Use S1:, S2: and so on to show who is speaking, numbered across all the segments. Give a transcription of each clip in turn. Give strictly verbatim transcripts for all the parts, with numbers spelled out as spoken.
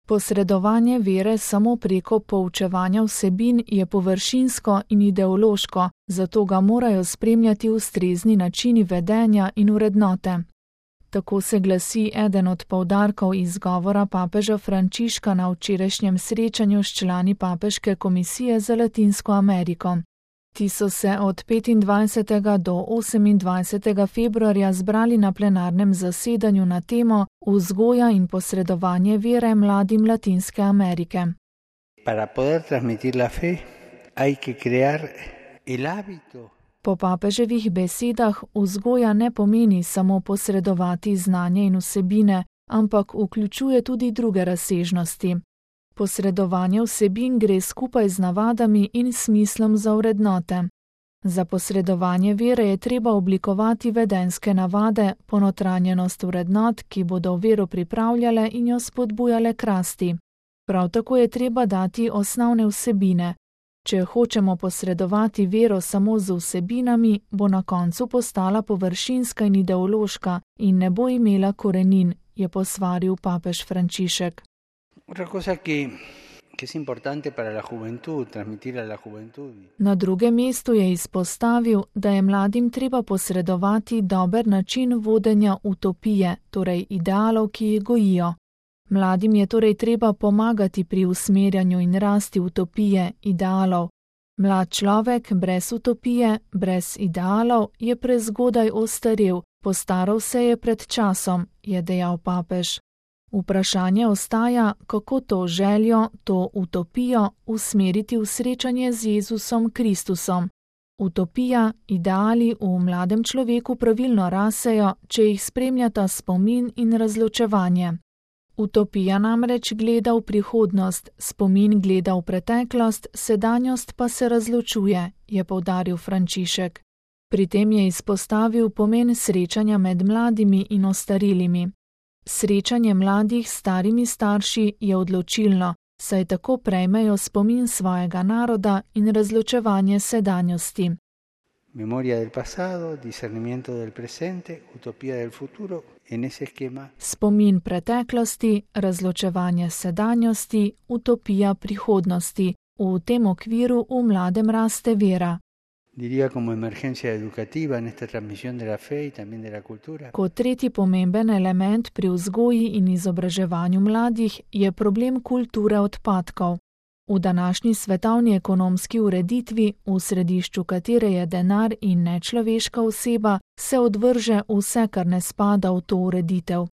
S1: Posredovanje vere samo preko poučevanja vsebin je površinsko in ideološko, zato ga morajo spremljati ustrezni načini vedenja in vrednote. Tako se glasi eden od poudarkov izgovora papeža Frančiška na včerajšnjem srečanju s člani Papeške komisije za Latinsko Ameriko. Ti so se od petindvajsetega do osemindvajsetega februarja zbrali na plenarnem zasedanju na temo Vzgoja in posredovanje vere mladim Latinske Amerike.
S2: Para poder transmitir la fe, hay que crear el hábito.
S1: Po papeževih besedah vzgoja ne pomeni samo posredovati znanje in vsebine, ampak vključuje tudi druge razsežnosti. Posredovanje vsebin gre skupaj z navadami in smislom za vrednote. Za posredovanje vere je treba oblikovati vedenjske navade, ponotranjenost vrednot, ki bodo vero pripravljale in jo spodbujale k rasti. Prav tako je treba dati osnovne vsebine. Če hočemo posredovati vero samo z vsebinami, bo na koncu postala površinska in ideološka in ne bo imela korenin, je posvaril papež Frančišek.
S2: Otra cosa que, que es importante para la juventud, transmitir a la juventud.
S1: Na drugem mestu je izpostavil, da je mladim treba posredovati dober način vodenja utopije, torej idealov, ki jih gojijo. Mladim je torej treba pomagati pri usmerjanju in rasti utopije, idealov. Mlad človek brez utopije, brez idealov je prezgodaj ostarel, postaral se je pred časom, je dejal papež. Vprašanje ostaja, kako to željo, to utopijo usmeriti v srečanje z Jezusom Kristusom. Utopija, ideali v mladem človeku pravilno rasejo, če jih spremljata spomin in razločevanje. Utopija namreč gleda v prihodnost, spomin gleda v preteklost, sedanjost pa se razločuje, je poudaril Frančišek. Pri tem je izpostavil pomen srečanja med mladimi in ostarilimi. Srečanje mladih s starimi starši je odločilno, saj tako prejmejo spomin svojega naroda in razločevanje sedanjosti.
S2: Memoria del pasado, discernimiento del presente, utopía del futuro, en ese esquema.
S1: Spomin preteklosti, razločevanje sedanjosti, utopija prihodnosti. V tem okviru v mladem raste vera.
S2: Diría como emergencia educativa en esta transmisión de la fe y también de la cultura.
S1: Kot tretji pomemben element pri vzgoji in izobraževanju mladih je problem kulture odpadkov. V današnji svetovni ekonomski ureditvi, v središču katere je denar in nečloveška oseba, se odvrže vse, kar ne spada v to ureditev.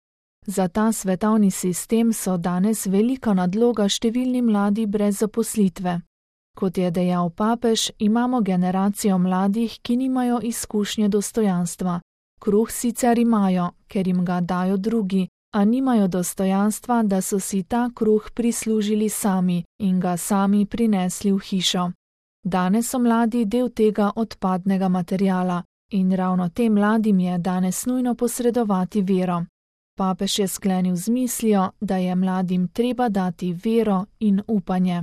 S1: Za ta svetovni sistem so danes velika nadloga številni mladi brez zaposlitve. Kot je dejal papež, imamo generacijo mladih, ki nimajo izkušnje dostojanstva. Kruh sicer imajo, ker jim ga dajo drugi, a nimajo dostojanstva, da so si ta kruh prislužili sami in ga sami prinesli v hišo. Danes so mladi del tega odpadnega materiala in ravno tem mladim je danes nujno posredovati vero. Papež je sklenil z mislijo, da je mladim treba dati vero in upanje.